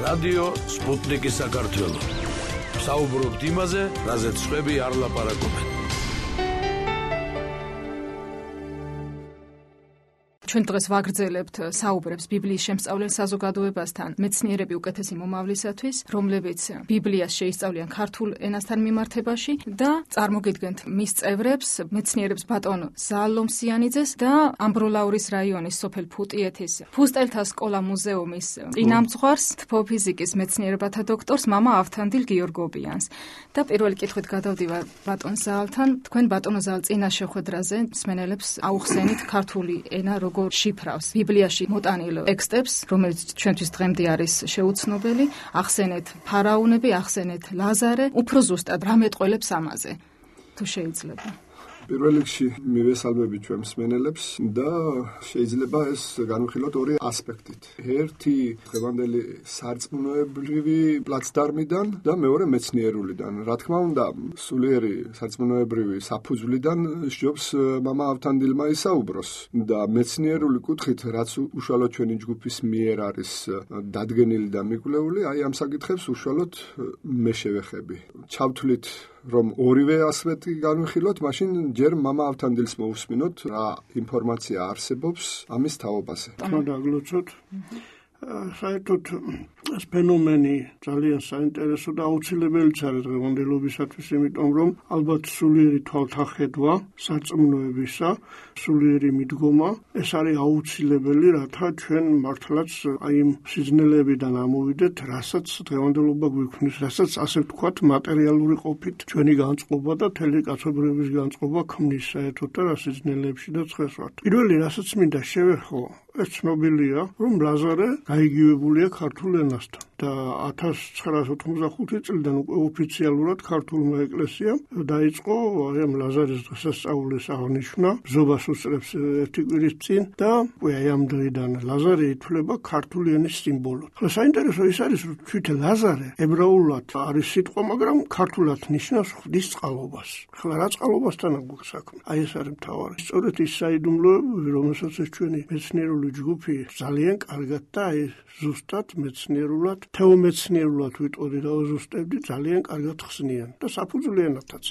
რადიო სპუტნიკის საქართველო. საუბრობთ იმაზე, რაზეც სხვები არ ლაპარაკობენ. ჩვენ დღეს ვაგრძელებთ საუბრებს ბიბლიის შემსწავლელ საზოგადოებასთან, მეცნიერები უკეთესი მომავლისათვის, რომლებიც ბიბლიას შეისწავლიან ქართულ ენასთან მიმართებაში და წარმოგიდგენთ მის წევრებს, მეცნიერებს ბატონ ზაალ ლომსიანიძეს და ამბროლაურის რაიონის სოფელ ფუტიეთის ფუსტელთა სკოლა მუზეუმის წინამძღვარს, თბოფიზიკის მეცნიერებათა დოქტორს მამა ავთანდილ გიორგობიანს. და პირველი კითხვით გადავდივარ ბატონ ზაალთან, თქვენ ბატონო ზაალ წინა შეხვედრაზე მსმენელებს აუხსენით ქართული ენა როგორ შიფრავს ბიბლიაში მოტანილ ტექსტებს, რომელიც ჩვენთვის დღემდე არის შეუცნობელი, ახსენეთ ფარაონები, ახსენეთ ლაზარე, უფრო ზუსტად რა მეტყველებს ამაზე, თუ შეიძლება. პირველ რიგში მივესალმები ჩვენ მსმენელებს და შეიძლება ეს განვიხილოთ ორი ასპექტით. ერთი დღევანდელი სარწმუნოებრივი პლაცდარმიდან და მეორე მეცნიერულიდან. რა თქმა უნდა, სულიერი სარწმუნოებრივი საფუძვლიდან სჯობს მამა ავთანდილმა ისაუბროს და მეცნიერული კუთხით, რაც უშუალოდ ჩვენი ჯგუფის მიერ არის დადგენილი და მიკვლეული, აი ამ საკითხებს უშუალოდ მე შევეხები. ჩავთვლით რომ ორივე ასპექტი განვიხილოთ, მაშინ ჯერ მამა ავთანდილს მოусმინოთ რა ინფორმაცია არსებობს ამის თაობაზე. დაგლოცოთ. საერთოდ ეს ფენომენი ძალიან საინტერესო და აუცილებელიც არის დღევანდელობისათვის, იმიტომ რომ ალბათ სულიერი თვალთახედვა სარწმუნოებისა, სულიერი მიდგომა, ეს არის აუცილებელი, რათა ჩვენ მართლაც აი იმ სიზნელებიდან ამოვიდეთ, რასაც დღევანდელობა გვიქმნის, რასაც ასე ვთქვათ, მატერიალური ყოფით ჩვენი განწყობა და მთელი კაცობრიობის განწყობა ქმნის საერთოდ და რა სიზნელებში და ცხეს ვართ. პირველი, რასაც მინდა შევეხო, ეს ცნობილია, რომ ლაზარე გაიგივებულია ქართულ ენასთან და 1985 წლიდან უკვე ოფიციალურად ქართულმა ეკლესიამ დაიწყო ამ ლაზარის დღესასწაულის აღნიშვნა, ბზობას უსწრებს ერთი კვირის წინ და აი ამ დღიდან ლაზარე ითვლება ქართული ენის სიმბოლოდ. ხოლო საინტერესო ის არის, რომ თვითონ ლაზარე ებრაულად არის სიტყვა, მაგრამ ქართულად ნიშნავს ღვთის წყალობას. ხოლო რა წყალობასთან აქვს საქმე? აი ეს არის მთავარი. სწორედ ის საიდუმლოებები, რომელსაც ჩვენი მეცნიერული ჯგუფი ძალიან კარგად და აი ზუსტად მეცნიერულად, თეომეცნიერულად ვიტყოდი და ზუსტებდი ძალიან კარგად ხსნიან და საფუძვლიანათაც.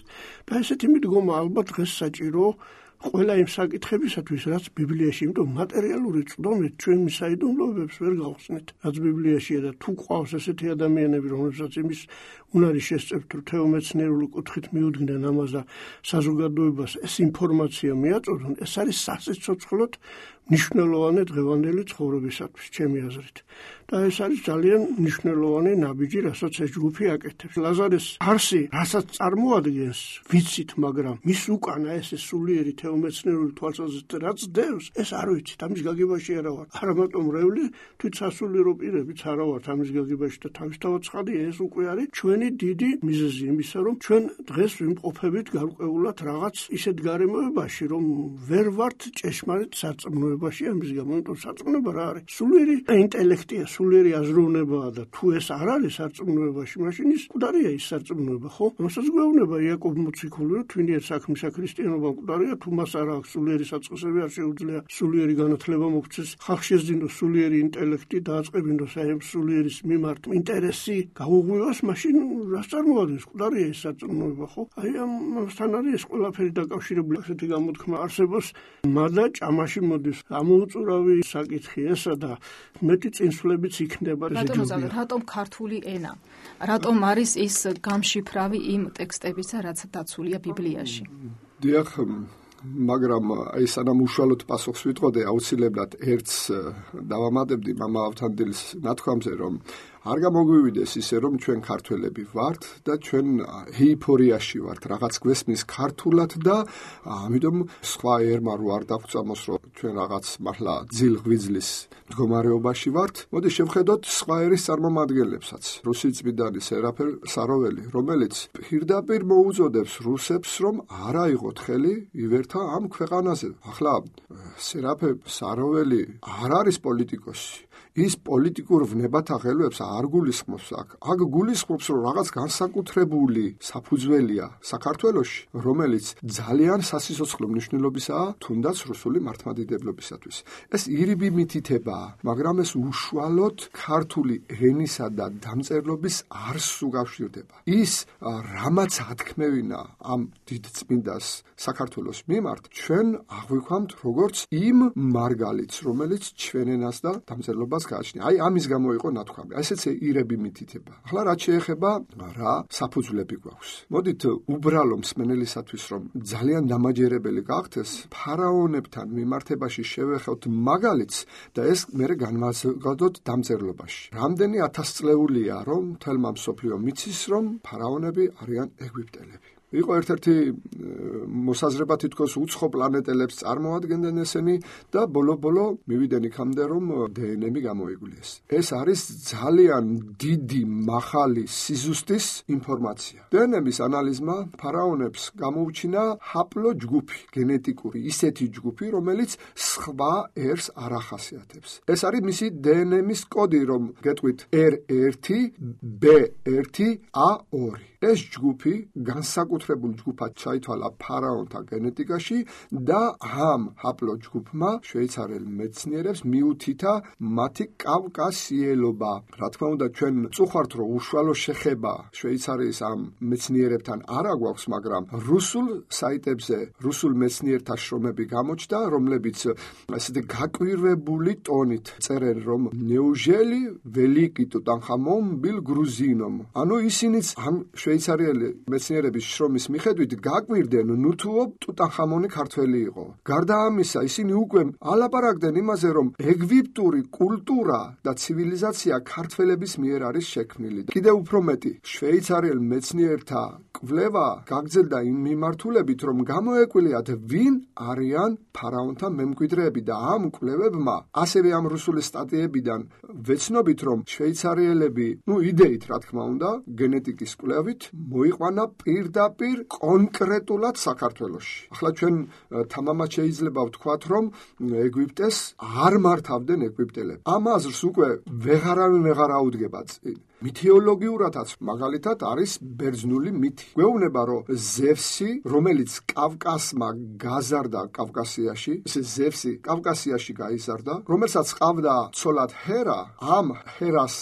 და ესეთი მიდგომა ალბათ დღეს საჭირო ყველა იმ საკითხებისათვის, რაც ბიბლიაში, იმიტომ მატერიალური წვდომით ჩვენ საიდუმლოებებს ვერ გავხსნით, რაც ბიბლიაშია და თუ ყავს ესეთი ადამიანები, რომლებსაც იმის უნარი შესწევთ, რომ თეომეცნიერული კუთხით მიუდგნენ ამას და საზოგადოებას ეს ინფორმაცია მიაწოდონ, ეს არის სასიცოცხლოდ მნიშვნელოვანი დღევანდელი ცხოვრებისათვის, ჩემი აზრით. და ეს არის ძალიან მნიშვნელოვანი ნაბიჯი, რასაც ეს ჯგუფი აკეთებს. ლაზარეს არსი, რასაც წარმოადგენს, ვიცით, მაგრამ მის უკანა ეს სულიერი თეომეცნიერული თვალსაზრისით რაც დევს, ეს არ ვიცით, ამის გაგებაში არა ვარ. არა მარტო მრევლი, თვით სასულიერო პირებიც არა ვართ ამის გაგებაში და თავისთავად ცხადია, ეს უკვე არის ჩვენი დიდი მიზეზი იმისა, რომ ჩვენ დღეს ვიმყოფებით გარკვეულად რაღაც ისეთ გარემოებაში, რომ ვერ ვართ ჭეშმარიტ სარწმუნოებაში ამის გამო, იმიტომ სარწმუნოება რა არის? სულიერი ინტელექტია, სულიერი აზროვნებაა და თუ ეს არ არის სარწმუნოებაში, მაშინ ის მკვდარია ის სარწმუნოება, ხო? ამასაც გვეუბნება იაკობ მოციქული, რომ თვინიერ საქმისა ქრისტიანობა მკვდარია, თუ მას არ აქვს სულიერი საწყისები, არ შეუძლია სულიერი განათლება მოქცეს, ხალხს შეძინოს სულიერი ინტელექტი, დააწყებინოს აი ამ სულიერის მიმართ ინტერესი, გაუღვივას, მაშინ რას წარმოადგენს? მკვდარია ის სარწმუნოება, ხო? აი ამასთან არის ეს ყველაფერი დაკავშირებული, ასეთი გამოთქმა არსებობს, მადა ჭამაში მოდის. ამოუწურავი საკითხი ესა და მეტი წინსვლებიც იქნება. რატომ ქართული ენა? რატომ არის ის გამშიფრავი იმ ტექსტებისა, რაც დაცულია ბიბლიაში? დიახ, მაგრამ აი სანამ უშუალოდ პასუხს ვიტყოდე, აუცილებლად ერთს დავამატებდი მამა ავთანდილის ნათქვამზე, რომ არ გამოგვივიდეს ისე, რომ ჩვენ ქართველები ვართ და ჩვენ ეიფორიაში ვართ, რაღაც გვესმის ქართულად და ამიტომ სხვა ერმა რო არ დაგვწამოს, რომ ჩვენ რაღაც მართლა ძილ-ღვიძლის მდგომარეობაში ვართ. მოდი შევხედოთ სხვა ერის წარმომადგენლებსაც. რუსი წმინდანი სერაფე საროველი, რომელიც პირდაპირ მოუწოდებს რუსებს, რომ არ აიღოთ ხელი ივერთა ამ ქვეყანაზე. ახლა სერაფე საროველი არ არის პოლიტიკოსი. ის პოლიტიკურ ვნებათა ხელებს არ გულისხმობს აქ გულისხმობს, რომ რაღაც განსაკუთრებული საფუძველია საქართველოში, რომელიც ძალიან სასიცოცხლო მნიშვნელობისაა თუნდაც რუსული მართლმადიდებლობისათვის. ეს ირიბი მითითებაა, მაგრამ ეს უშუალოდ ქართული ენისა და დამწერლობის არსს უკავშირდება. ის რამაც ათქმევინა ამ დიდ წმინდას საქართველოს მიმართ, ჩვენ აღვიქვამთ როგორც იმ მარგალიტს, რომელიც ჩვენ ენას და დამწერლობას გააჩნია. ამის გამო იყო ნათქვამი. ესეც ირები მითითება. ახლა რაც შეეხება რა საფუძვლები გვაქვს. მოდით უბრალო მსმენელისათვის, რომ ძალიან დამაჯერებელი გახდეს, ფარაონებთან მიმართებაში შევეხოთ მაგალითს და ეს მერე განვაზოგადოთ დამწერლობაში. რამდენი ათასწლეულია, რომ თელმა მსოფლიო მიცის, რომ ფარაონები არიან ეგვიპტელები. იყო ერთ-ერთი მოსაზრება თითქოს უცხო პლანეტელებს წარმოადგენდნენ ესენი და ბოლო-ბოლო მივიდნენ იქამდე, რომ დნმ გამოიგულიეს. ეს არის ძალიან დიდი მაღალი სიზუსტის ინფორმაცია. დნმ-ის ანალიზმა ფარაონებს გამოუჩინა ჰაპლო ჯგუფი, გენეტიკური ისეთი ჯგუფი, რომელიც სხვა ერს არ ახასიათებს. ეს არის მისი დნმ-ის კოდი, რომ გეტყვით R1, B1, A2. ეს ჯგუფი განსაკუთრებულ ჯგუფად ჩაითვალა ფარაონთა გენეტიკაში და ამ ჰაპლო ჯგუფმა შვეიცარიელ მეცნიერებს მიუთითა მათი კავკასიელობა. რა თქმა უნდა, ჩვენ წუხართ, რომ უშუალო შეხება შვეიცარიის ამ მეცნიერებთან არ აგვაქვს, მაგრამ რუსულ საიტებზე რუსულ მეცნიერთა შრომები გამოჩნდა, რომლებიც ასეთი გაკვირვებული ტონით წერენ, რომ ნეუჟელი ველიკი ტუტანხამონ ბილ გრუზინომ. ანუ ისინიც ამ შვეიცარიელი მეცნიერების შრომის მიხედვით გაკვირდნენ, ნუთუო ტუტანხამონი ქართველი იყო. გარდა ამისა, ისინი უკვე ალაპარაკდნენ იმაზე, რომ ეგვიპტური კულტურა და ცივილიზაცია ქართველების მიერ არის შექმნილი. კიდევ უფრო მეტი, შვეიცარიელ მეცნიერთა კვლევა გაგრძელდა იმ მიმართულებით, რომ გამოეკვლიათ, ვინ არიან ფარაონთა მემკვიდრეები და ამ კვლევებმა, ასევე ამ რუსული სტატიებიდან ვეცნობით, რომ შვეიცარიელები, იდეით რა თქმა უნდა, გენეტიკის კვლევით მოიყვანა პირდაპირ კონკრეტულად საქართველოში. ახლა ჩვენ თამამად შეიძლება ვთქვათ, რომ ეგვიპტეს არ მართავდნენ ეგვიპტელები. ამ აზრს უკვე ვეღარავინ ვეღარ აუდგება წინ. მითეოლოგიურადაც მაგალითად არის ბერძნული მითი. გვეუბნება, რომ ზევსი, რომელიც კავკასმა გაზარდა კავკასიაში, ეს ზევსი კავკასიაში გაიზარდა, რომელსაც ყავდა ცოლად ჰერა, ამ ჰერას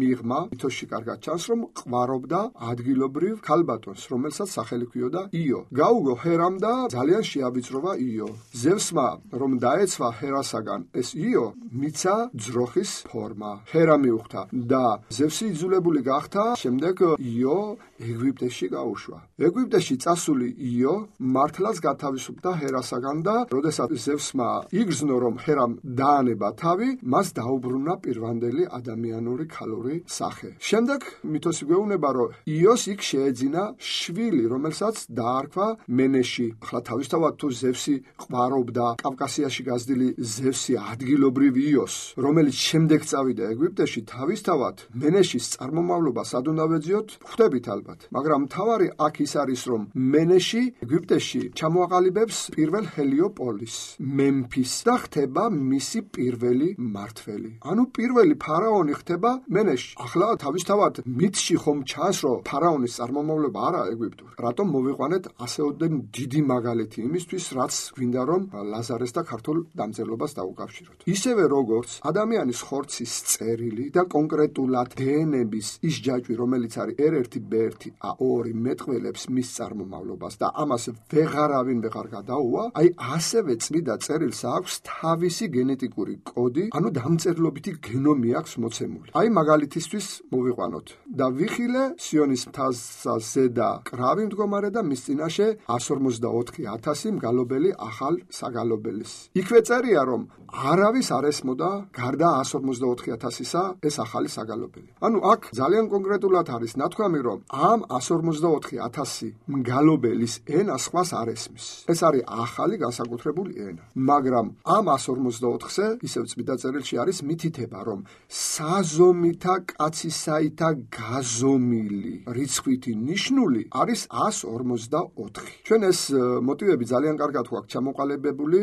მიღმა მითოში კარგად ჩანს, რომ ყვარობდა ადგილობრივ ქალბატონს, რომელსაც სახელი ჰქვიოდა იო. გაუგო ჰერამ და ძალიან შეავიწროვა იო. ზევსმა რომ დაეცვა ჰერასაგან ეს იო, მიცა ძროხის ფორმა. ჰერა მიუხვდა და ზევსი იძულებული გახდა შემდეგ იო ეგვიპტეში გაუშვა. ეგვიპტეში წასული იო მართლაც გათავისუფლდა ჰერასაგან და როდესაც ზევსმა იგრძნო, რომ ჰერამ დაანება თავი, მას დაუბრუნა პირვანდელი ადამიანური ქალური სახე. შემდეგ მითოსი გვეუბნება, რომ იოს იქ შეეძინა შვილი, რომელსაც დაარქვა მენეში. ახლა თავისთავად თუ ზევსი ყვარობდა კავკასიაში გაზრდილი ზევსი ადგილობრივ იოს, რომელიც შემდეგ წავიდა ეგვიპტეში, თავისთავად მენეშის წარმომავლობა სად უნდა ვეძიოთ? ხვდებით ალბათ. მაგრამ მთავარი აქ ის არის, რომ მენეში ეგვიპტეში ჩამოაყალიბებს პირველ ჰელიოპოლის, მემფის და ხდება მისი პირველი მმართველი. ანუ პირველი ფარაონი ხდება მენეში. ახლა თავისთავად მითში ხომ ჩანს, რომ ფარაონის წარმომავლობა არა ეგვიპტური. რატომ მოვიყვანეთ ასეოდენ დიდი მაგალითი იმისთვის, რაც გვინდა რომ ლაზარეს და ქართულ დამწერლობას დაუკავშიროთ. ისევე როგორც ადამიანის ხორცის წერილი და კონკრეტულად დნმ-ის ის ჯაჭვი, რომელიც არის R1, B1, A2 მეტყველებს მის წარმომავლობას და ამას ვეღარავინ ვეღარ გადაუვა, ასევე წმიდა წერილს აქვს თავისი გენეტიკური კოდი, ანუ დამწერლობითი გენომი აქვს მოცემული. მაგალითისთვის მოვიყვანოთ და ვიხილე სიონის მთაზე და კრავი მდგომარე და მის წინაშე 154,000 მგალობელი ახალ საგალობელის. იქვე წერია, რომ არავის არ ესმოდა გარდა 154,000-ისა ეს ახალი საგალობელი. ანუ აქ ძალიან კონკრეტულად არის ნათქვამი, რომ ამ 154,000 მგალობელის ენა სხვას არ ესმის. ეს არის ახალი განსაკუთრებული ენა. მაგრამ ამ 154-ზე ისევ წმიდა წერილში არის მითითება, რომ საზომითა კაცისაითა გაზომილი რიცხვითი ნიშნული არის 154. ჩვენ ეს მოტივები ძალიან კარგად გვაქვს ჩამოყალიბებული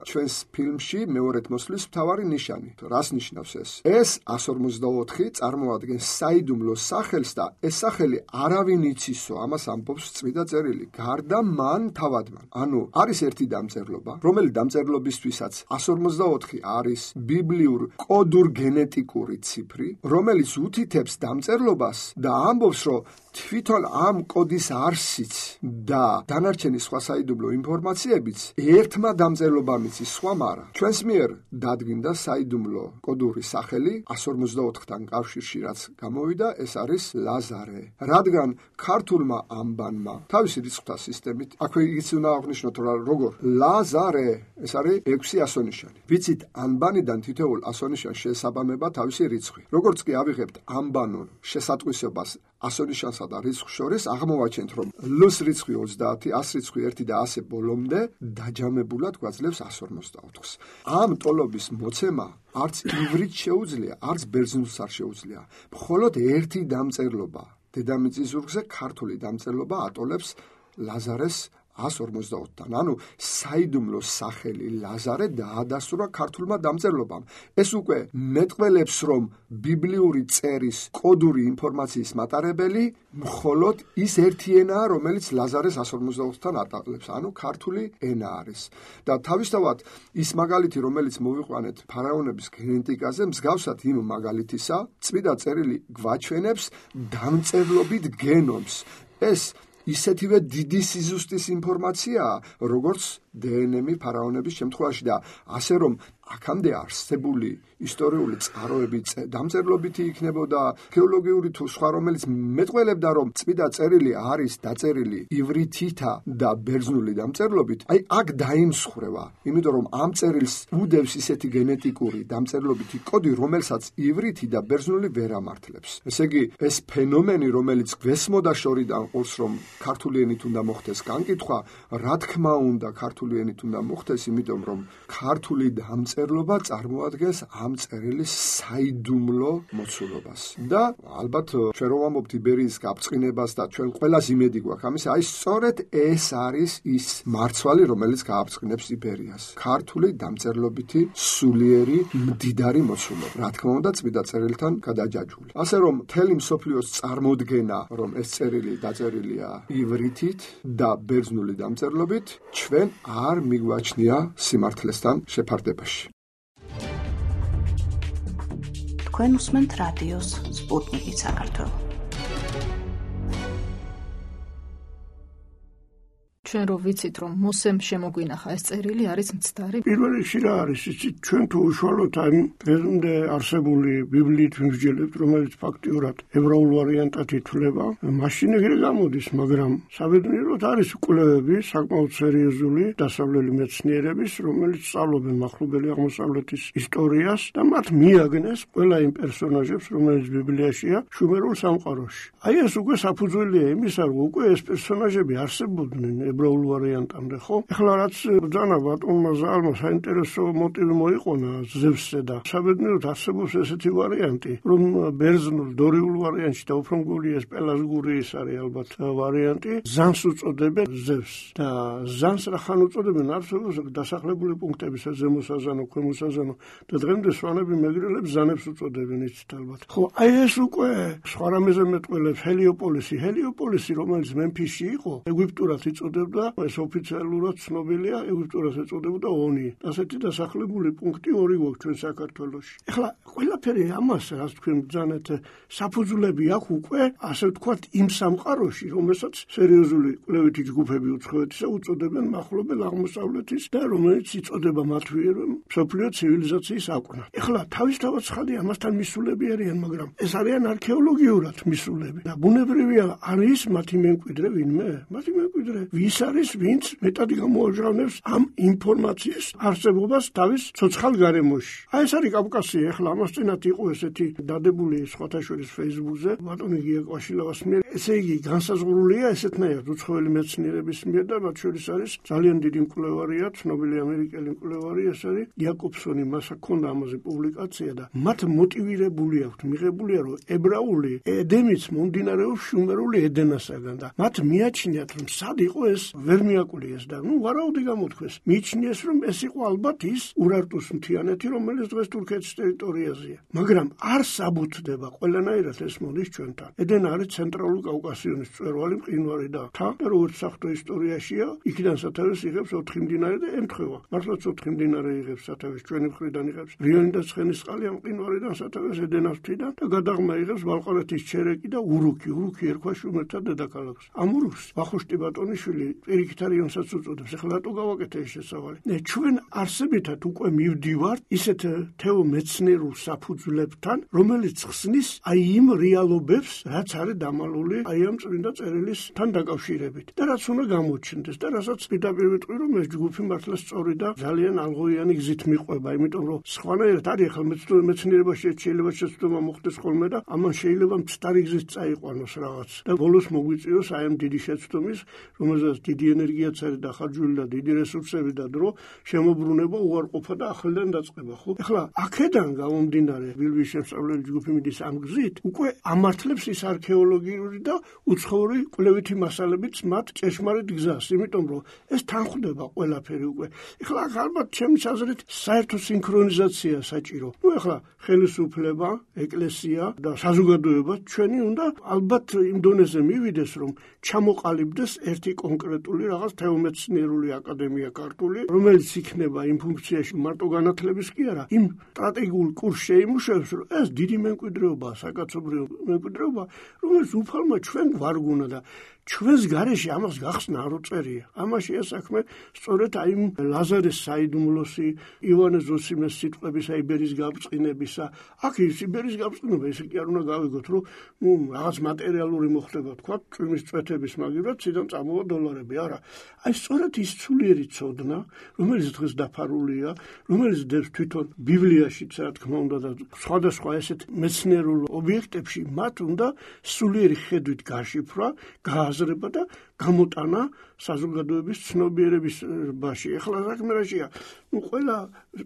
ჩვენს ფილმში მეორედ მოსვლის მთავარი ნიშანი. რას ნიშნავს ეს? ეს 154 წარმოადგენს საიდუმლოს სახელს და ეს სახელი არავინ იცისო, ამას ამბობს წმინდა წერილი. გარდა მან თავადმა. ანუ არის ერთი დამწერლობა, რომელი დამწერლობისთვისაც 154 არის ბიბლიურ კოდურ გენეტიკური ციფრი, რომელიც უთითებს დამწერლობას და ამბობს, რომ თვითონ ამ კოდის არსიც და დანარჩენი სხვა საიდუმლო ინფორმაციებიც ერთმა დამწერლობამ იცის, სხვამ არა. ჩვენს მიერ დადგინდა საიდუმლო კოდური სახელი 154-თან კავშირში, რაც გამოვიდა, ეს არის ლაზარე. რადგან ქართულმა ამბანმა თავისი რიცხვთა სისტემით, აქვე იგიც უნდა აღნიშნოთ, რომ როგორ ლაზარე, ეს არის 6 ასონიშანი. ვიცით, ანბანიდან თითოეულ ასონიშანს შეესაბამება თავისი რიცხვი. როგორც კი ავიღებთ ანბანურ შესატყვისებას ასონიშანსა და რიცხვს შორის, აღმოვაჩენთ, რომ ლუს რიცხვი 30, 100 რიცხვი 1 და ასე ბოლომდე დაჯამებულად გვაძლევს 154-ს. ამ ტოლობის მოცემა არც ივრით შეუძლია, არც ბერძნულს არ შეუძლია. მხოლოდ ერთი დამწერლობა, დედამიწის ზურგზე ქართული დამწერლობა ატოლებს ლაზარეს 154-თან. ანუ საიდუმლოს სახელი ლაზარე დაადასტურა ქართულმა დამწერლობამ. ეს უკვე მეტყველებს, რომ ბიბლიური წერის კოდური ინფორმაციის მატარებელი მხოლოდ ის ერთი ენაა, რომელიც ლაზარეს 154-თან ატოლებს, ანუ ქართული ენა არის. და თავისთავად ის მაგალითი, რომელიც მოვიყვანეთ ფარაონების გენეტიკაზე, მსგავსად იმ მაგალითისა, წმინდა წერილი გვაჩვენებს დამწერლობით გენომს. ეს ისეთივე დიდი სიზუსტის ინფორმაციაა, როგორც დნმ ფარაონების შემთხვევაში და ასე რომ აქამდე არსებული ისტორიული წყაროები დამწერლობითი იქნებოდა, გეოლოგიური თუ სხვა, რომელიც მეტყველებდა, რომ წმინდა წერილი არის დაწერილი ივრითითა და ბერძნული დამწერლობით, აი აქ დაიმსხვრევა, იმიტომ რომ ამ წერილს უდევს ისეთი გენეტიკური დამწერლობითი კოდი, რომელსაც ივრითი და ბერძნული ვერ ამართლებს. ესე იგი, ეს ფენომენი, რომელიც გვესმოდა შორიდან ყურს, რომ ქართული ენით უნდა მოხდეს განკითხვა, რა თქმა უნდა ქართული ენით უნდა მოხდეს, იმიტომ რომ ქართული დამწერლობა წარმოადგენს ამ წერილის საიდუმლო მოცულობას. და ალბათ ჩვენ რომ ვამბობთ იბერიის გაბრწყინებას და ჩვენ ყველას იმედი გვაქვს ამის, აი სწორედ ეს არის ის მარცვალი, რომელიც გააბრწყინებს იბერიას. ქართული დამწერლობითი სულიერი მდიდარი მოცულობა. რა თქმა უნდა წმინდა წერილთან გადაჯაჭვული. ასე რომ მთელი მსოფლიოს წარმოდგენა, რომ ეს წერილი დაწერილია ივრითით და ბერძნული დამწერლობით, ჩვენ არ მიგვაჩნია სიმართლესთან შეფარდებაში. თქვენ უსმენთ რადიოს სპუტნიკი საქართველო. ჩვენ რო ვიცით, რომ მოსემ შემოგვინახა ეს წერილი არის მცდარი. პირველ რიგში რა არის იცით, ჩვენ თუ უშუალოდ ამ დღემდე არსებული ბიბლიით ვიმსჯელებთ, რომელიც ფაქტიურად ებრაულ ვარიანტად ითვლება, მაშინ ეგრე გამოდის, მაგრამ საბედნიეროდ არის კვლევები საკმაოდ სერიოზული დასავლელი მეცნიერების, რომელიც სწავლობენ მახლობელი აღმოსავლეთის ისტორიას და მათ მიაგნეს ყველა იმ პერსონაჟებს, რომელიც ბიბლიაშია შუმერულ სამყაროში. აი ეს უკვე საფუძველია იმისა, რომ უკვე ეს პერსონაჟები არსებობდნენ ებრაულ ვარიანტამდე, ხო? ეხლა რაც ბრძანა ბატონმა ზალმა საინტერესო მოტივი მოიყონა ზევსზე და საბედნიეროდ არსებობს ესეთი ვარიანტი, რომ ბერძნულ დორიულ ვარიანტში და უფრო მგონი ეს პელაზგური ის არის ალბათ ვარიანტი, ზანს უწოდებენ ზევსს და ზანს რახან უწოდებენ არსებობს დასახლებული პუნქტებისა ზემოსაზანო, ქვემოსაზანო და დღემდე სვანები მეგრელებს ზანებს უწოდებენ იცით ალბათ. ხო, აი ეს უკვე სხვა რამეზე მეტყველებს ჰელიოპოლისი, რომელიც მემფისში იყო, ეგვიპტურად იწოდებდა, ეს ოფიციალურად ცნობილია, ეგვიპტურად ეწოდებოდა ონი. ასეთი დასახლებული პუნქტი ორი გვაქვს ჩვენ საქართველოში. ეხლა ყველაფერი ამას, რაც თქვენ ბრძანეთ, საფუძვლები აქვს უკვე, ასე ვთქვათ, იმ სამყაროში, რომელსაც სერიოზული კვლევითი ჯგუფები უცხოეთისა უწოდებენ მახლობელ აღმოსავლეთის და რომელიც იწოდება მათვიერ მსოფლიო ცივილიზაციის აკვნად. ეხლა თავისთავად ცხადი ამასთან მისულები არიან, მაგრამ ეს არიან არქეოლოგიურად მისულები და ბუნებრივია არის მათი მემკვიდრე ვინმე? მათი მემკვიდრე ვის არის, ვინც მეტად გამოაჟღავნებს ამ ინფორმაციის არსებობას თავის ცოცხალ გარემოში. აი ეს არის კავკასია. ეხლა ამას წინათ იყო ესეთი დადებული სხვათა შორის Facebook-ზე ბატონი გია კვაშილავას მიერ. ესე იგი განსაზღვრულია ესეთნაირად უცხოელი მეცნიერების მიერ და მათ შორის არის ძალიან დიდი მკვლევარია, ცნობილი ამერიკელი მკვლევარი, ეს არის იაკობსონი, მას ჰქონდა ამაზე პუბლიკაცია და მათ მოტივირებული აქვთ, მიღებულია, რომ ებრაული ედენიც მომდინარეობს შუმერული ედენასაგან და მათ მიაჩნიათ, რომ სად იყო ეს ვერ მიაკლიეს და ვარაუდი გამოთქვეს. მიიჩნიეს, რომ ეს იყო ალბათ ის ურარტუს მთიანეთი, რომელიც დღეს თურქეთის ტერიტორიაზეა. მაგრამ არ საბუთდება ყველანაირად ეს მოდის ჩვენთან. ედენ არის ცენტრალური კავკასიონის მწვერვალი მყინვარი და თა, როგორც საფრთხე ისტორიაშია, იქიდან სათავეს იღებს 4 მდინარე და ემთხვევა. მართლაც 4 მდინარე იღებს სათავეს, ჩვენი მხრიდან იღებს რიონი და ცხენისწყალი ამ მყინვარიდან სათავეს ედენას მთიდან და გადაღმა იღებს ბალყარეთის ჩერეკი და ურუქი. ურუქი ერქვა შუმერთა დედაქალაქს. ამ ურუქს ვახუშტი ბატონიშვილი პირიქით არიონსაც უწოდებს. ეხლა რატო გავაკეთე ეს შესავალი? ჩვენ არსებითად უკვე მივდივართ ისეთ თეომეცნიერულ საფუძვლებთან, რომელიც ხსნის აი იმ რეალობებს, რაც არის დამალული აი ამ წმინდა წერილისთან დაკავშირებით და რაც უნდა გამოჩნდეს და რასაც პირდაპირ ვიტყვი, რომ ეს ჯგუფი მართლა სწორი და ძალიან ალღოიანი გზით მიყვება, იმიტომ რომ სხვანაირად არის ახლა მეცნიერებაში შეიძლება შეცდომა მოხდეს ხოლმე და ამან შეიძლება მცდარი გზით წაიყვანოს რაღაც და ბოლოს მოგვიწიოს აი ამ დიდი შეცდომის, რომელზეც დიდი ენერგიაც არის დახარჯული და დიდი რესურსები და დრო შემოbrunება უარყოფა და ახლიდან დაწყება, ხო? ეხლა აქედან გამომდინარე ბიბლიის შემსწავლელი ჯგუფი მიდის ამ გზით, უკვე ამართლებს ის არქეოლოგიური და უცხოური კვლევითი მასალებით მათ ჭეშმარიტ გზას, იმიტომ რომ ეს თანხდება ყველაფერი უკვე. ეხლა ალბათ ჩემს აზრით საერთო სინქრონიზაცია საჭირო. ეხლა ხელისუფლება, ეკლესია და საზოგადოება ჩვენი უნდა ალბათ იმ დონეზე მივიდეს, რომ ჩამოყალიბდეს ერთი კონკრეტული რაღაც თეომეცნიერული აკადემია ქართული, რომელიც იქნება იმ ფუნქციაში მარტო განათლების კი არა, იმ სტრატეგიულ კურსს შეიმუშავებს, რომ ეს დიდი მემკვიდრეობა, საკაცობრიო მემკვიდრეობა, რომელიც უფალმა ჩვენ გვარგუნა და ჩვენს გარეშე ამას გახსნა არ უწერია. ამაშია საქმე სწორედ აი იმ ლაზარეს საიდუმლოსი, ივანე ზოსიმეს სიტყვების იბერის გაბრწყინებისა. აქ ის იბერის გაბრწყინება ესე კი არ უნდა გავიგოთ, რომ რაღაც მატერიალური მოხდება, თქვა, წვიმის წვეთების მაგივრად ციდან წამოვა დოლარები. არა. აი სწორედ ის სულიერი ცოდნა, რომელიც დღეს დაფარულია, რომელიც დევს თვითონ ბიბლიაშიც, რა თქმა უნდა და სხვადასხვა ესეთ მეცნიერულ ობიექტებში, მათ უნდა სულიერი ხედვით გაშიფრვა, აზრება და გამოტანა საზოგადოების ცნობიერების ბაში. ეხლა საქმე რაშია? ყველა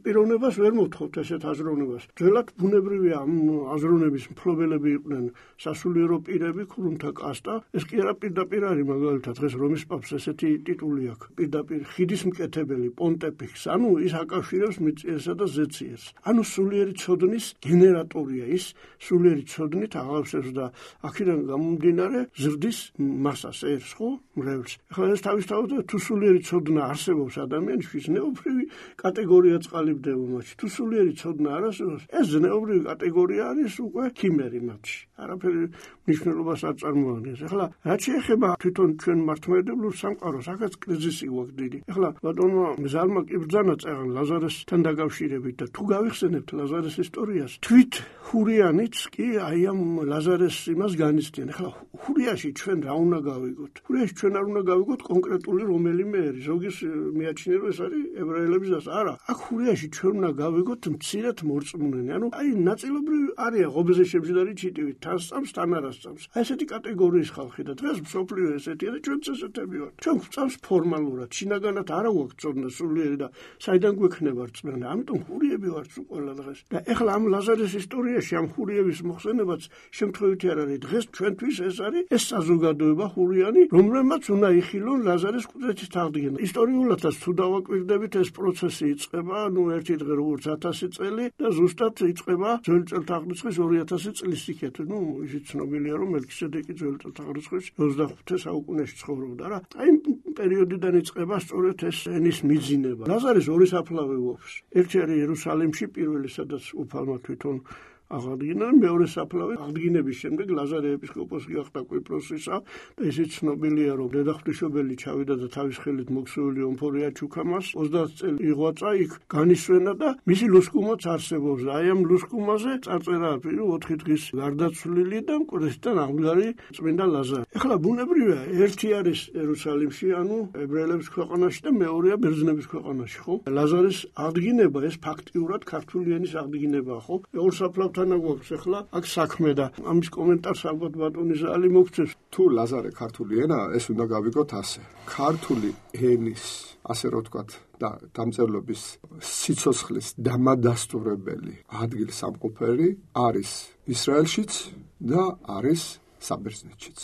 პიროვნებას ვერ მოთხოვთ ესეთ აზროვნებას. ძველად ბუნებრივია ამ აზროვნების მფლობელები იყვნენ სასულიერო პირები, ქრუმთა კასტა. ეს კი არა პირდაპირ არის, მაგალითად დღეს რომის პაპს ესეთი ტიტული აქვს. პირდაპირ ხიდის მკეთებელი, პონტეფიქს, ანუ ის აკავშირებს მიწიერსა და ზეციერს. ანუ სულიერი ცოდნის გენერატორია ის, სულიერი ცოდნით აღავსებს და აქედან გამომდინარე ზრდის მასას ერს, ხო? მრევლს. ეხლა ეს თავისთავად თუ სულიერი ცოდნა არსებობს ადამიანში, ზნეობრივი კატეგორია წყალიბდება მათში. თუ სულიერი ცოდნა არ არსებობს, ეს ზნეობრივი კატეგორია არის უკვე ქიმერი მათში. არაფერი მნიშვნელობას არ წარმოადგენს. ეხლა რაც შეეხება თვითონ ჩვენ მართლმადიდებლურ სამყაროს, აქაც კრიზისი გვაქვს დიდი. ეხლა ბატონო მზალმა კი ბრძანა წერან ლაზარესთან დაკავშირებით და თუ გავიხსენებთ ლაზარეს ისტორიას, თვით ჰურიანიც კი აი ამ ლაზარეს იმას განიცდიან. ეხლა ჰურიაში ჩვენ რა უნდა გავიგოთ? ჰურიაში ჩვენ არ უნდა გავიგოთ კონკრეტული რომელიმე ერი. ზოგის მიაჩნია რომ ეს არის ებრაელების დას. არა, აქ ჰურიაში ჩვენ უნდა გავიგოთ მცირედ მორწმუნენი. ანუ აი ნაწილობრივ არის ღობეზე შემჯდარი ჩიტივით, თან სწამს, თან არ სწამს. აი ესეთი კატეგორიის ხალხი და დღეს მსოფლიო ესეთია და ჩვენც ესეთები ვართ. ჩვენ გვწამს ფორმალურად, შინაგანად არა გვაქვს წოდნა სულიერი და საიდან გვექნება რწმენა. ამიტომ ჰურიები ვართ სულ ყველა დღეს. და ეხლა ამ ლაზარეს ისტორიაში ამ ჰურიების მოხსენებაც შემთხვევითი არ არის. დღეს ჩვენთვის ეს არის ეს საზოგადოება ჰურიანი, რომელმაც უნდა იხილონ ლაზარეს კვდრეთის აღდგენა. ისტორიულადაც თუ დავაკვირდებით ეს პროცესი იწყება, ერთი დღე როგორც 1000 წელი და ზუსტად იწყება ძველი წელთაღრიცხვის 2000 წლის იქეთ. ისიც ცნობილია რომ მელქისედეკი ძველი წელთაღრიცხვის 25 საუკუნეში ცხოვრობდა რა. აი იმ პერიოდიდან იწყება სწორედ ეს ენის მიძინება. ლაზარეს ორი საფლავი გვაქვს. ერთი არის იერუსალიმში, პირველი სადაც უფალმა თვითონ აღადგინა, მეორე საფლავი აღდგინების შემდეგ ლაზარე ეპისკოპოსი გახდა კვიპროსისა და ისიც ცნობილია რომ დედაღვთისმშობელი ჩავიდა და თავის ხელით მოქსეული ომფორია ჩუქამას 30 წელი იღვაწა იქ განისვენა და მისი ლუსკუმაც არსებობს. აი ამ ლუსკუმაზე წარწერაა 4 დღის გარდაცვლილი და მკვდრისთან აღდგარი წმინდა ლაზარე. ეხლა ბუნებრივია, ერთი არის იერუსალიმში, ანუ ებრაელების ქვეყანაში და მეორეა ბერძნების ქვეყანაში, ხო? ლაზარეს აღდგინება ეს ფაქტიურად ქართული ენის აღდგინებაა, ხო? ორ საფლავ გვაქვს ახლა აქ საქმე და ამის კომენტარს ალბათ ბატონი ზალი მოგცემს. თუ ლაზარე ქართული ენაა, ეს უნდა გავიგოთ ასე. ქართული ენის, ასე რომ ვთქვათ, და დამწერლობის სიცოცხლის დამადასტურებელი ადგილსამყოფელი არის ისრაელშიც და არის საბერძნეთშიც.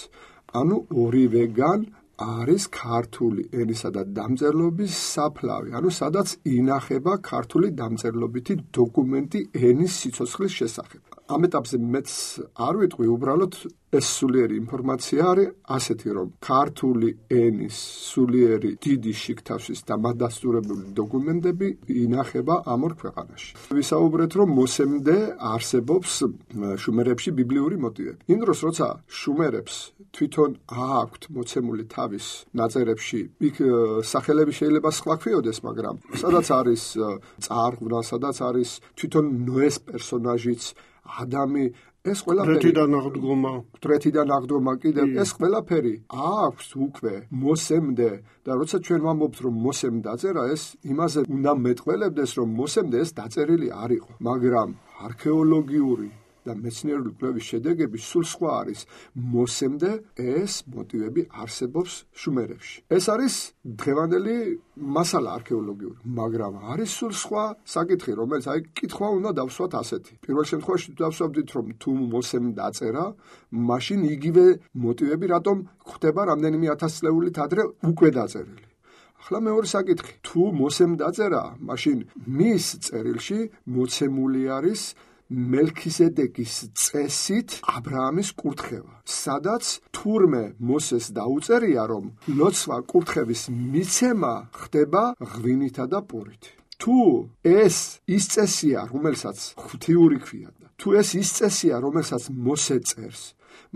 ანუ ორივეგან არის ქართული ენისა და დამწერლობის საფლავი, ანუ სადაც ინახება ქართული დამწერლობითი დოკუმენტი ენის სიცოცხლის შესახებ. ამ ეტაპზე მეც არ ვიტყვი, უბრალოდ ეს სულიერი ინფორმაცია არის ასეთი, რომ ქართული ენის სულიერი დიდი შიგთავსის და მადასტურებული დოკუმენტები ინახება ამ ორ ქვეყანაში. ვისაუბრეთ, რომ მოსემდე არსებობს შუმერებში ბიბლიური მოტივები. იმ დროს, როცა შუმერებს თვითონ აქვთ მოცემული თავის ნაწერებში, იქ სახელები შეიძლება სხვა ქვიოდეს, მაგრამ სადაც არის წარღვნა, სადაც არის თვითონ ნოეს პერსონაჟიც, ადამი, ეს ყველაფერი დროთიდან აღდგომა კიდევ ეს ყველაფერი აქვს უკვე მოსემდე და როცა ჩვენ ვამბობთ რომ მოსემ დაწერა, ეს იმაზე უნდა მეტყველებდეს, რომ მოსემდე ეს დაწერილი არ იყო, მაგრამ არქეოლოგიური და მეცნიერული კვლევის შედეგები სულ სხვა არის. მოსემდე ეს მოტივები არსებობს შუმერებში. ეს არის დღევანდელი მასალა არქეოლოგიური, მაგრამ არის სულ სხვა საკითხი, რომელიც კითხვა უნდა დავსვათ ასეთი. პირველ შემთხვევაში დავსვავდით, რომ თუ მოსემ დაწერა, მაშინ იგივე მოტივები რატომ გვხვდება რამდენიმე 1000 წლეულით ადრე უკვე დაწერილი. ახლა მეორე საკითხი, თუ მოსემ დაწერა, მაშინ მის წერილში მოცემული არის მელქისედეკის წესით აბრაამის კურთხევა, სადაც თურმე მოსეს დაუწერია, რომ ლოცვა კურთხევის მიცემა ხდება ღვინითა და პურით. თუ ეს ის წესია, რომელსაც ღვთიური ქვია და თუ ეს ის წესია, რომელსაც მოსე წერს,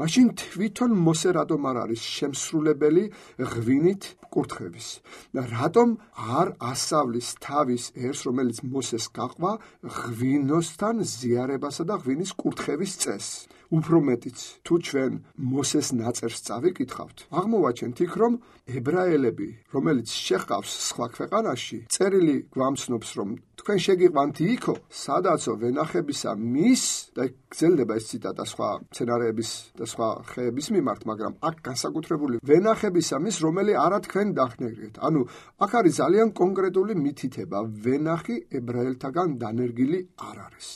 მაშინ თვითონ მოსე რატომ არ არის შემსრულებელი ღვინით კურთხევის და რატომ არ ასავლის თავის ერს, რომელიც მოსეს გაყვა ღვინოსთან ზიარებასა და ღვინის კურთხევის წესს. უფრო მეტიც, თუ ჩვენ მოსეს ნაწერს წავიკითხავთ, აღმოვაჩენთ იქ, რომ ებრაელები, რომელიც შეჰყავს სხვა ქვეყანაში, წერილი გვამცნობს, რომ თქვენ შეგიყვანთ იქო, სადაცო ვენახებისა მის და გრძელდება ეს ციტატა სხვა მცენარეების და სხვა ხეების მიმართ, მაგრამ აქ განსაკუთრებული ვენახებისა მის, რომელი არა თქვენ დახნერგეთ. ანუ აქ არის ძალიან კონკრეტული მითითება, ვენახი ებრაელთაგან დანერგილი არ არის.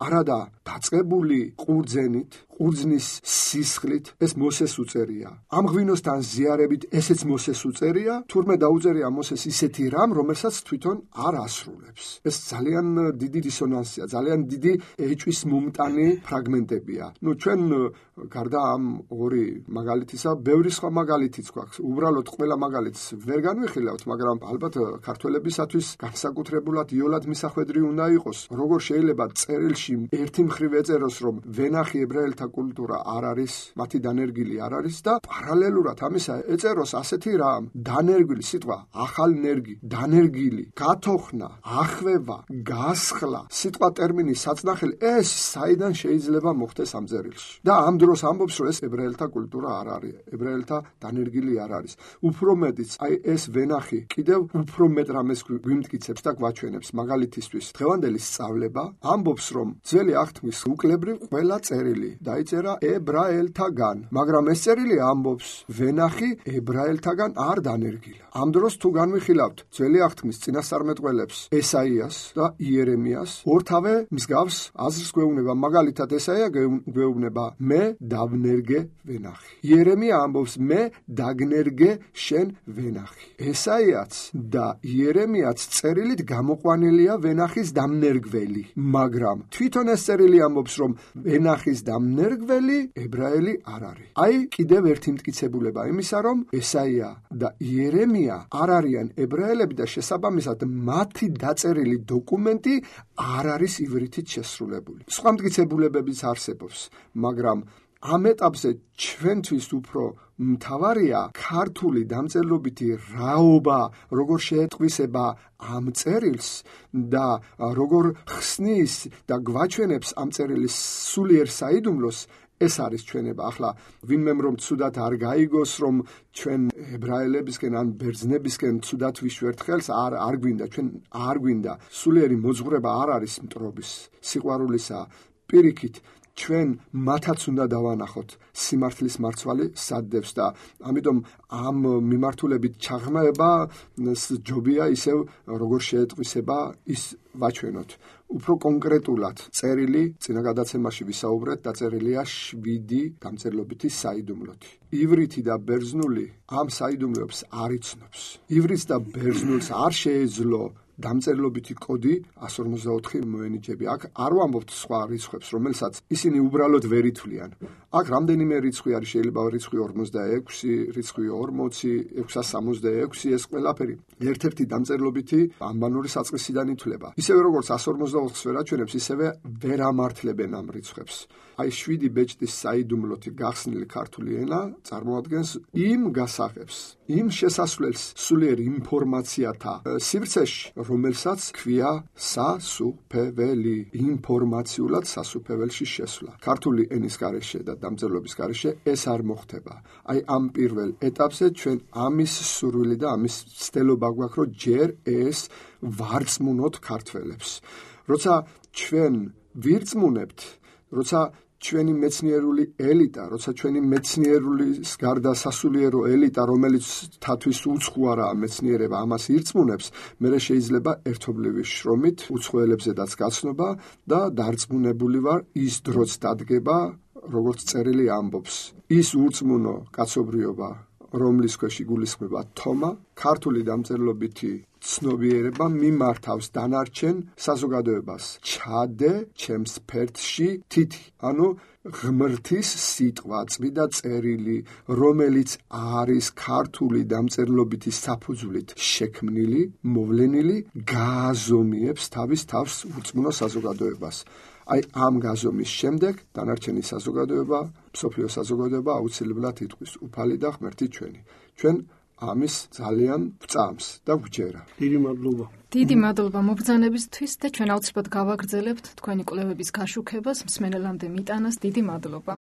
არადა დაწყებული ყურძენით, ყურძნის სისხლით ეს მოსეს უწერია. ამ ღვინოსთან ზიარებით ესეც მოსეს უწერია, თურმე დაუწერია მოსეს ისეთი რამ, რომელსაც თვითონ არ ასრულებს. ეს ძალიან დიდი დისონანსია, ძალიან დიდი ეჭვის მომტანი ფრაგმენტებია. ჩვენ გარდა ამ ორი მაგალითისა, ბევრი სხვა მაგალითიც გვაქვს. უბრალოდ ყველა მაგალითს ვერ განვიხილავთ, მაგრამ ალბათ ქართველებისათვის განსაკუთრებულად იოლად მისახვედრი უნდა იყოს. როგორ შეიძლება წერილში ერთი მხრივ ეწეროს, რომ ვენახი ებრაელთა კულტურა არ არის, მათი დანერგილი არ არის და პარალელურად ამისა ეწეროს ასეთი რამ, დანერგილი სიტყვა, ახალნერგი, დანერგილი, გათოხნა, ახვევა, გასხლა, სიტყვა ტერმინი საწნახელი, ეს საიდან შეიძლება მოხდეს ამ წერილში. და ამ დროს ამბობს, რომ ეს ებრაელთა კულტურა არ არის, ებრაელთა დანერგილი არ არის. უფრო მეტიც, ეს ვენახი კიდევ უფრო მეტ რამეს გვიმტკიცებს და გვაჩვენებს. მაგალითისთვის, დღევანდელი სწავლება ამბობს, რომ ძველი აღთქმის უკლებრივ ყველა წერილი დაიწერა ებრაელთაგან, მაგრამ ეს წერილი ამბობს, ვენახი ებრაელთაგან არ დანერგილა. ამ დროს თუ განვიხილავთ ძველი აღთქმის წინასწარმეტყველებს, ესაიას და იერემიას, ორთავე მსგავს აზრს გვეუბნება. მაგალითად, ესაია გვეუბნება, მე დავნერგე ვენახი. იერემია ამბობს, მე დაგნერგე შენ ვენახი. ესაიაც და იერემიაც წერილით გამოყვანილია ვენახის დამნერგველი, მაგრამ თვითონ ეს წერილი ამბობს, რომ ვენახის დამნერგველი ებრაელი არ არის. კიდევ ერთი მტკიცებულება იმისა, რომ ესაია და იერემია არ არიან ებრაელები და შესაბამისად მათი დაწერილი დოკუმენტი არ არის ივრითით შესრულებული. სხვა მტკიცებულებებიც არსებობს, მაგრამ ამ ეტაპზე ჩვენთვის უფრო მთავარია ქართული დამწერლობითი რაობა, როგორ შეეტყვისება ამ წერილს და როგორ ხსნის და გვაჩვენებს ამ წერილის სულიერ საიდუმლოს. ეს არის ჩვენება. ახლა ვინმემ რომ ცუდად არ გაიგოს, რომ ჩვენ ებრაელებისკენ ან ბერძნებისკენ ცუდად ვიშვერთ ხელს, არ გვინდა, ჩვენ არ გვინდა. სულიერი მოძღვრება არ არის მტრობის, სიყვარულისა. პირიქით, ჩვენ მათაც უნდა დავანახოთ სიმართლის მარცვალი სადდევს და ამიტომ ამ მიმართულებით ჩაღრმავება ჯობია ისევ როგორ შეეტყვისება ის ვაჩვენოთ. უფრო კონკრეტულად წერილი წინა გადაცემაში ვისაუბრეთ, დაწერილია 7 დამწერლობითი საიდუმლოთი. ივრითი და ბერძნული ამ საიდუმლოებს არ იცნობს. ივრითს და ბერძნულს არ შეეძლო დამწერლობითი კოდი 154 მოენიჭები. აქ არ ვამბობთ სხვა რიცხვებს, რომელსაც ისინი უბრალოდ ვერ ითვლიან. აქ რამდენიმე რიცხვი არის, შეიძლება რიცხვი 46, რიცხვი 40, 666, ეს ყველაფერი ერთ-ერთი დამწერლობითი ანბანური საწყისიდან ითვლება. ისევე როგორც 144-ს ვერ აჩვენებს, ისევე ვერ ამართლებენ ამ რიცხვებს. აი 7 ბეჭდის საიდუმლოთი გახსნილი ქართული ენა წარმოადგენს იმ გასაღებს, იმ შესასვლელს სულიერ ინფორმაციათა სივრცეში, რომელსაც ქვია სასუფეველი, ინფორმაციულად სასუფეველში შესვლა. ქართული ენის გარეშე და დამწერლობის გარეშე ეს არ მოხდება. აი ამ პირველ ეტაპზე ჩვენ ამის სურვილი და ამის ცდელობა გვაქვს, რომ ჯერ ეს ვარწმუნოთ ქართველებს. როცა ჩვენ ვირწმუნებთ, როცა ჩვენი მეცნიერული ელიტა, როცა ჩვენი მეცნიერულის გარდა სასულიერო ელიტა, რომელიც თათვის უცხოა მეცნიერება, ამას ირწმუნებს, მერე შეიძლება ერთობლივი შრომით უცხოელებზედაც გაცნობა და დარწმუნებული ვარ, ის დროც დადგება, როგორც წერილი ამბობს. ის ურწმუნო კაცობრიობა, რომლის ქვეშ იგულისხმება თომა, ქართული დამწერლობითი ცნობიერება მიმართავს დანარჩენ საზოგადოებას. ჩადე ჩემს ფერდში თითი, ანუ ღმრთის სიტყვა, წმიდა წერილი, რომელიც არის ქართული დამწერლობითი საფუძვლით შექმნილი, მოვლენილი, გააზომიებს თავის თავს ურწმუნო საზოგადოებას. აი ამ გაზომის შემდეგ დანარჩენი საზოგადოება, მსოფლიო საზოგადოება აუცილებლად იტყვის უფალი და ღმერთი ჩვენი. ჩვენ ამის ძალიან ვწამს და ვჯერა. დიდი მადლობა. დიდი მადლობა მობრძანებისთვის და ჩვენ აუცილებლად გავაგრძელებთ თქვენი კვლევების გაშუქებას, მსმენელამდე მიტანას. დიდი მადლობა.